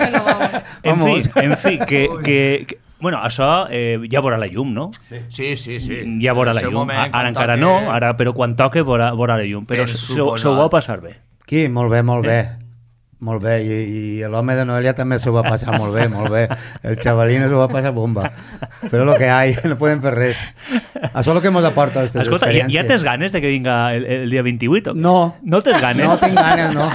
En fi, que bueno, això ja veurà la llum, no? Sí. Ja veurà la llum. Ara encara no, però quan toque veurà la llum. Però s'ho va passar bé. Qui? Molt bé. Molt bé, i l'home de Noelia també s'ho va passar molt bé. El xavalín s'ho va passar bomba. Però lo que hay, no podem fer res. Això és el que ens aporta aquestes experiències. Ja tens ganes de que vinga el dia 28? No. No tens ganes? No tinc ganes, no.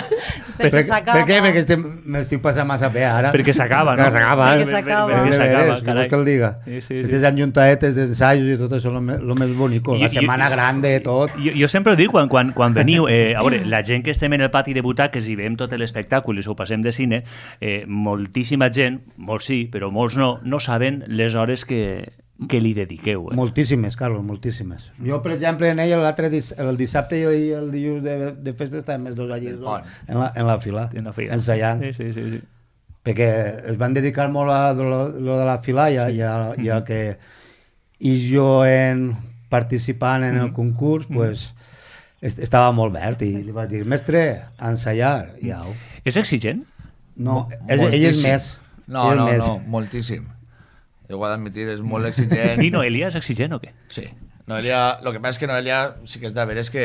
Perquè s'acaba. Per què? Perquè m'estic passant massa bé ara. Perquè s'acaba, no? Perquè s'acaba. Què vols que el diga? Aquestes enjuntaetes d'ensajos i tot això és el més bonic. La setmana grande, tot. Jo sempre ho dic quan veniu, a veure, la gent que estem en el pati de butaques i veiem tot l'espectacle i s'ho passem de cine, moltíssima gent, molts sí, però molts no saben les hores que li dediqueu. Moltíssimes, Carlos, moltíssimes. Jo, per exemple, en ell el dissabte i el dilluns de festa estàvem els dos allí en la fila, ensaiant. Sí. Perquè es van dedicar molt a lo de la fila i el que jo participant en el concurs, pues, estava molt verd i li vaig dir, mestre, a ensaiar, i au. És exigent? No, ell és més. No, moltíssim. Jo ho he d'admitir, és molt exigent. I Noelia és exigent o què? Sí. Noelia, el que passa és que Noelia sí que és de veres que...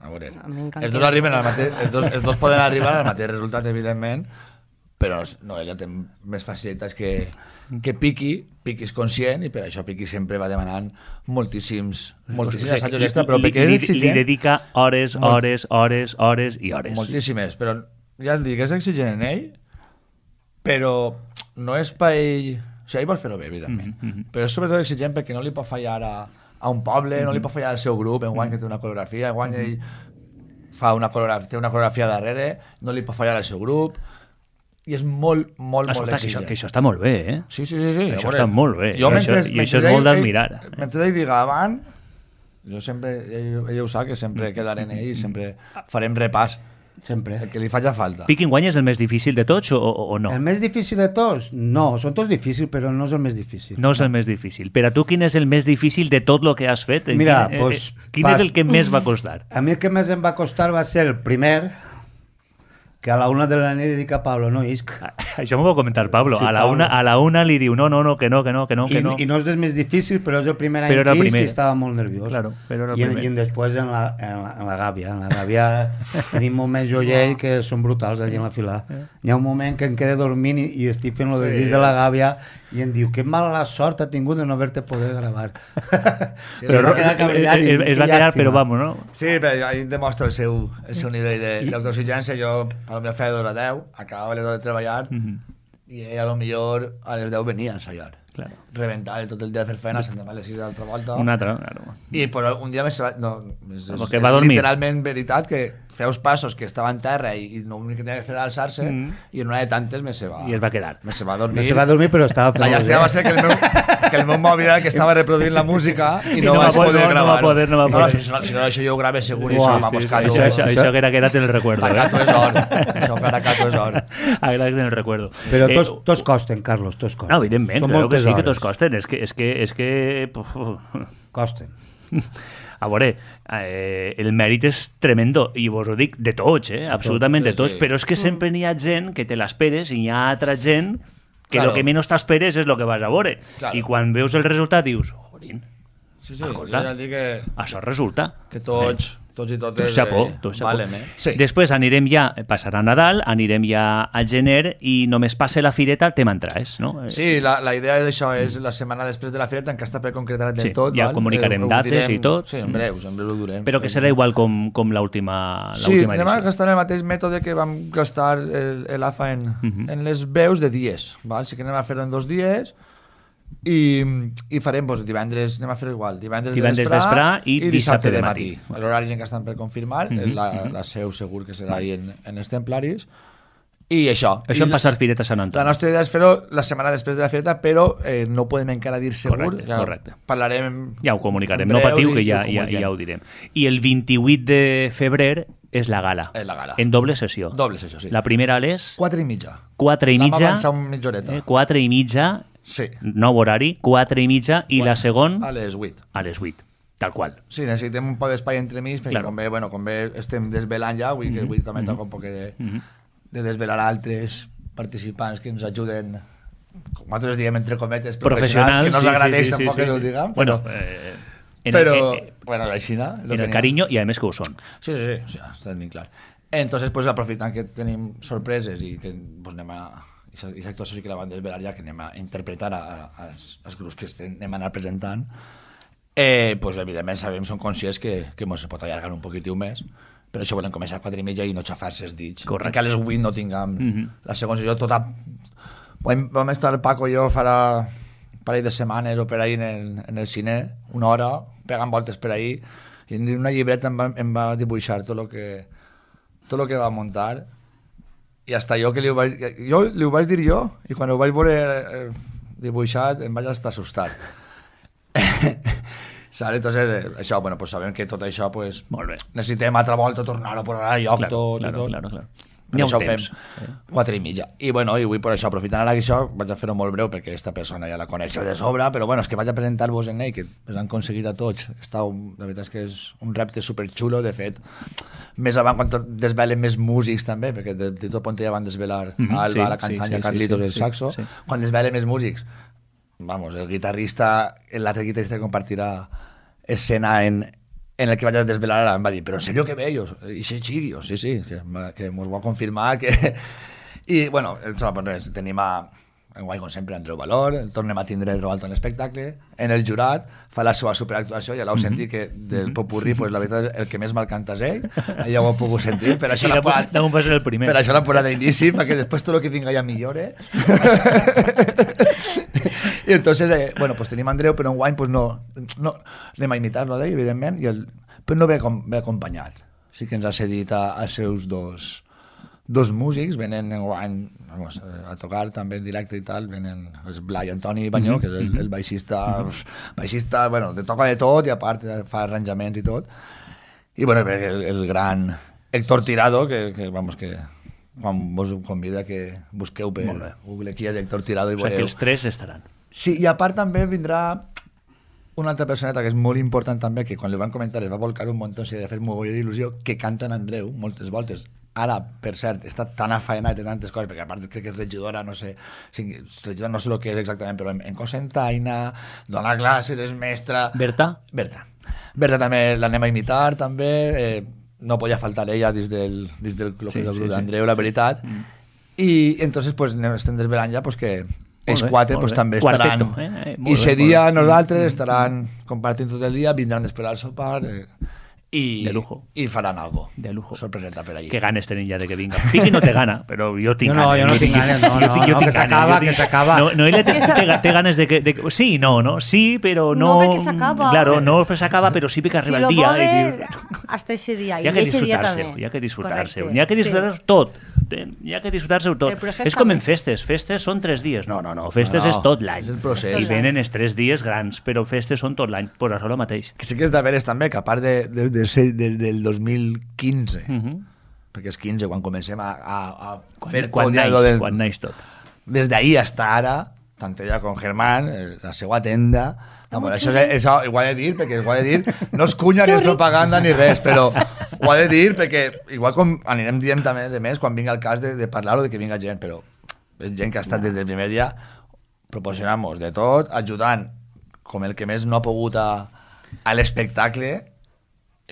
A veure, els dos arriben al mateix... Els dos poden arribar al mateix resultat, evidentment, però Noelia té més facilitats que Piqui és conscient i per això Piqui sempre va demanant moltíssims assajos extra, però perquè és exigent... Li dedica hores i hores. Moltíssimes, però ja et dic, és exigent en ell, però no és per ell... O sigui, ell vol fer-ho bé, evidentment, però és sobretot exigent perquè no li pot fallar a un poble, no li pot fallar al seu grup, enguany que té una coreografia, enguany ell té una coreografia darrere, no li pot fallar al seu grup, i és molt exigent. Que això està molt bé, eh? Sí. Això està molt bé. I això és molt d'admirar. Mentre ell diga avant, jo sempre, ell ho sap, que sempre quedaré en ell i sempre farem repàs. Sempre. El que li faci falta. Piqui enguany és el més difícil de tots o no? El més difícil de tots? No, són tots difícils, però no és el més difícil. No és el més difícil. Per a tu, quin és el més difícil de tot el que has fet? Mira, quin és el que més va costar? A mi el que més em va costar va ser el primer, que a la 1 de la nit dic a Pablo, no isc. Això m'ho va comentar Pablo. Sí, a la una li diu no, que no. I no és el més difícil, però és el primer any que isc i estava molt nerviós. Claro, però era el primer. I després en la gàbia. En la gàbia tenim moments joiell que són brutals allà en la fila. Hi ha un moment que em quedé dormint i estic fent el disc de la gàbia i em diu, que mala sort ha tingut de no haver-te poder gravar. Però es va quedar, però vamos, no? Sí, però ahí demostra el seu nivell d'autoexigència. Jo, a la meva feina d'hora 10, acabava l'hora de treballar i ell a lo millor a les 10 venia a ensaiar. Claro. Reventar tot el dia a fer feina, se'n demà a les 6 d'altra volta. Una altra, claro. I però un dia més va... No, va dormir. Literalment veritat que feus passos que estava en terra i l'únic que tenia que fer era alçar-se i en una de tantes me se va... I es va quedar. Me se va dormir. Me se va dormir, però estava... La llàstima va ser que el meu mòbil era el que estava reproduint la música i no vaig poder gravar. No va poder. Si no, això jo ho grave segur i això vamos cato. Això que era quedat en el recuerdo. Per cato és or. Això per cato és or. Quedat en el recuerdo. Però tots costen, Carlos, tots costen. No, evidentment, claro que sí que tots costen. És que... Costen. A veure, el mèrit és tremendo, i vos ho dic de tots, absolutament de tots, però és que sempre n'hi ha gent que te l'esperes i hi ha altra gent que el que menys t'esperes és el que vas a veure. I quan veus el resultat dius, jorin, escolta, això resulta. Que tots i totes valem, sí. Després anirem ja, passarà Nadal, anirem ja al gener i només passe la fireta te m'entraes, no? Sí, la idea d'això és la setmana després de la fireta, encara està per concretar del tot. Ja comunicarem dates i tot. Sí, en breu ho durem. Però que serà igual com l'última edició. Sí, anem a gastar el mateix mètode que vam gastar l'AFA en les veus de dies. Sí que anem a fer-ho en 2 dies i farem divendres, anem a fer igual, divendres vespre i dissabte de matí. L'horari encara estan per confirmar, la seu segur que serà ahí en els templaris. I això en passar fireta a Sant Antoni. La nostra idea és fer-ho la setmana després de la fireta, però no podem encara dir segur. Correcte. Parlarem... Ja ho comunicarem, no patiu que ja ho direm. I el 28 de febrer és la gala. En doble sessió. Doble sessió, sí. La primera a les... 4:30. 4:30. Vam avançar una mitjoreta. 4:30. Sí. Nou horari, 4:30, i la segona... A les 8. A les 8, tal qual. Sí, necessitem un poc d'espai entremig, perquè com bé estem desvelant ja, avui també toca un poc de desvelar altres participants que ens ajuden, com nosaltres diem entre cometes, professionals, que no us agradeix tampoc que no ho diguem. Bueno, bueno, així, no? En el carinyo, i a més que ho són. Sí, està ben clar. Entonces, pues, aprofitant que tenim sorpreses i pues, anem a... I actuació sí que la van desvelar ja, que anem a interpretar als grups que anem a anar presentant, pues, evidentment som conscients que ens pot allargar un poquitiu més, per això volem començar a 4:30 i no xafar-se els dits. Que a les 8 no tinguem la segona sessió tota... Vam estar Paco i jo farà un parell de setmanes o per ahí en el cine, una hora, pegant voltes per ahí, i en una llibreta em va dibuixar tot el que va muntar. I hasta jo que li ho vaig dir jo, i quan ho vaig veure dibuixat em vaig estar assustat. Entonces, això, bueno, pues sabem que tot això, pues, necessitem altra volta tornar a posar a lloc tot. Claro. Per això ho fem 4:30. I bueno, i avui per això, aprofitant ara que això, vaig a fer-ho molt breu perquè aquesta persona ja la coneixeu de sobre, però bueno, és que vaig a presentar-vos en ell, que us han aconseguit a tots. La veritat és que és un repte superxulo, de fet, més avant quan desvelen més músics també, perquè de tot punt ja van desvelar Alba, la Canzanya, Carlitos, el saxo. Quan desvelen més músics, vamos, el guitarrista, l'altre guitarrista que compartirà escena en el que vaig a desvelar ara, em va dir, però en serio que bellos, i sí, que mos ho ha confirmat, i bueno, tenim enguany, com sempre, Andreu Valor, el tornem a tindre trobat en l'espectacle, en el jurat, fa la seva superactuació, ja l'heu sentit que del popurrí, pues, la veritat, el que més mal canta és ell, ja ho heu pogut sentir, per això l'ha posat d'inici, perquè després tot el que vinga ja millore. I entonces, bueno, pues tenim Andreu, però enguany pues no anem a imitar-lo d'ell, evidentment, però no ve acompanyat. Sí que ens ha cedit als seus dos músics, venen enguany a tocar també en directe i tal, venen Blai Antoni Banyó, que és el baixista, bueno, toca de tot i a part fa arranjaments i tot. I bueno, el gran Héctor Tirado, que vamos, que quan vos convida que busqueu per Google qui és Héctor Tirado i veureu. O sigui que els tres estaran. Sí, i a part també vindrà una altra personeta que és molt important també, que quan li van comentar es va volcar un munt, i de fer mogolló d'il·lusió, que canta en Andreu moltes voltes. Ara, per cert, està tan afaenat de tantes coses, perquè a part crec que és regidora, no sé el que és exactament, però en cosa en taina, dona classes, és mestra... Berta? Berta també l'anem a imitar, també, no podia faltar ella dins del grup d'Andreu, la veritat, i entonces pues, estem desvelant ja pues, que els quatre pues, també estaran i ese dia nosaltres estaran compartint tot el dia, vindran després al sopar de lujo. I faran algo de lujo, sorpreseta per allí. Que ganes tenen ja de que vinga. Piqui no te gana, però jo tinc ganes. Jo no tinc ganes, que s'acaba. No, ella té ganes de que... Sí, no, sí, però no... No, perquè s'acaba. Claro, no perquè s'acaba, però sí perquè arriba el dia. Si lo puede, hasta ese día. Hi ha que disfrutar-se-ho, hi ha que disfrutar-se-ho. Hi ha que disfrutar-se tot. Hi ha que disfrutar-se-ho tot. És com en festes. Festes són 3 dies. No. Festes és tot l'any. I venen els 3 dies grans, però festes són tot l'any. Pues això és el mateix. Que sí que és de veres també, que a part del 2015, perquè és 15 quan comencem a fer quan naix tot. Des d'ahir fins ara, tant ella com Germán, la seva tenda, això ho ha de dir, perquè ho ha de dir, no és cunya ni és propaganda ni res, però ho ha de dir perquè igual com anirem dient també de més quan vinga el cas de parlar-ho, de que vinga gent, però és gent que ha estat des del primer dia proporcionant-nos de tot, ajudant com el que més no ha pogut a l'espectacle,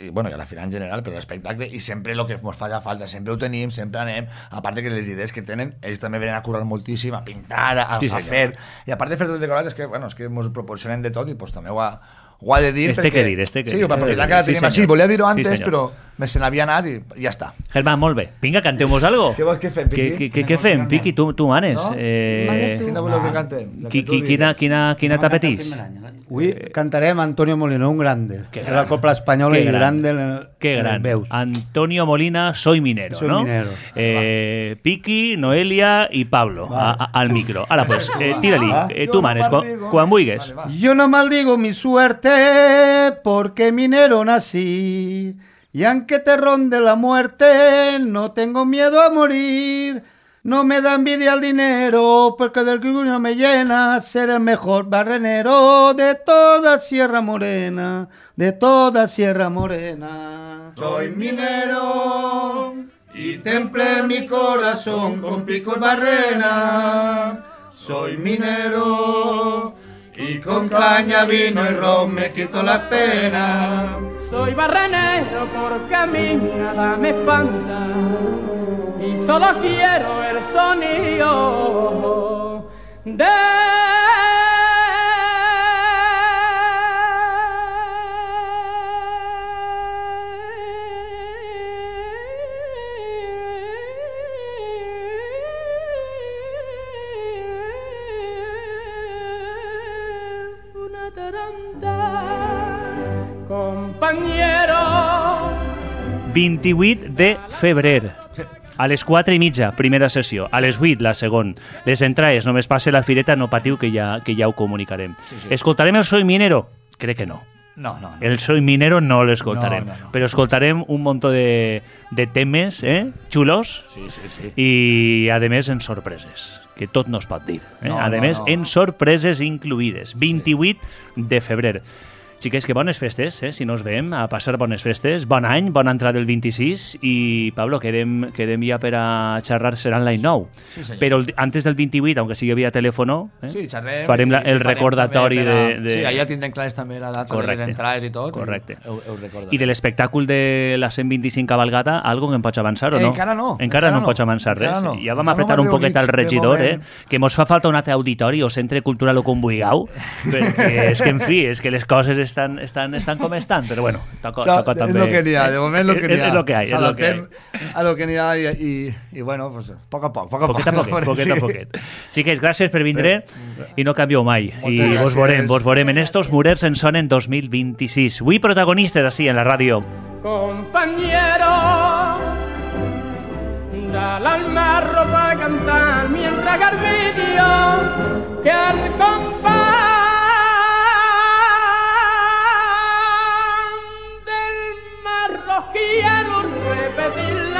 i a la final en general, però l'espectacle, i sempre el que ens fa falta, sempre ho tenim, sempre anem, a part que les idees que tenen, ells també venen a currar moltíssim, a pintar, a fer, i a part de fer tot el decorat, és que ens proporcionen de tot, i també ho ha de dir, perquè... Sí, per aprofitar que la tenim així, volia dir-ho antes, però se n'havia anat i ja està. Germán, molt bé. Vinga, canteu-nos algo. Què vols que fem, Piqui? Què fem, Piqui? Tu manes. Manes tu. Quina voleu que cantem? Quina t'apetís? Avui cantarem Antonio Molina, un grande. De la Copla Espanyola i grande en les veus. Antonio Molina, Soy Minero, ¿no? Piqui, Noelia y Pablo al micro. Ahora pues, tírali. Tú manes, quan vulgues. Yo no maldigo mi suerte porque minero nací. Y aunque te ronde la muerte, no tengo miedo a morir. No me da envidia el dinero, porque del orgullo me llena ser el mejor barrenero de toda Sierra Morena, de toda Sierra Morena. Soy minero y templé mi corazón con pico y barrena. Soy minero y con caña, vino y ron me quito la pena. Soy barrenero porque a mí nada me espanta y solo quiero el sonido de una taranta, compañero. 28 de febrer. A les 4:30, primera sessió. A les 8, la segona. Les entrades, només passe la fireta, no patiu, que ja ho comunicarem. Sí. Escoltarem el Soy Minero? Crec que no. No. El Soy Minero no l'escoltarem. No. Però escoltarem un munt de temes, xulos, sí. I, a més, en sorpreses, que tot no es pot dir. A més, en sorpreses incluïdes. 28 de febrer. Xiques, que bones festes, si no us veiem, a passar bones festes, bon any, bona entrada del 26, i Pablo, quedem ja per a xerrar, serà en l'any nou. Sí, però antes del 28, aunque sigui via telèfono, farem el recordatori de... Sí, allà tindrem clares també la data de les entrades i tot. Correcte. I de l'espectacle de la 125 cabalgata, algo que em pots avançar o no? Encara no. Encara no pots avançar res. Ja vam apretar un poquet al regidor, que mos fa falta un altre auditori o centre cultural o com vulgueu, perquè és que, en fi, és que les coses estan com estan, però bueno, toca també... És lo que n'hi ha, de moment lo que n'hi ha. És lo que hay. A lo que n'hi ha i bueno, pues, poc a poc. Poquet a poquet. Xiques, gràcies per vindre i no canvieu mai. I vos veurem en estos murers en sonen 2026. Avui protagonistes així en la ràdio. Compañero, dale al marro para cantar mientras Garbidio que al compás quiero repetir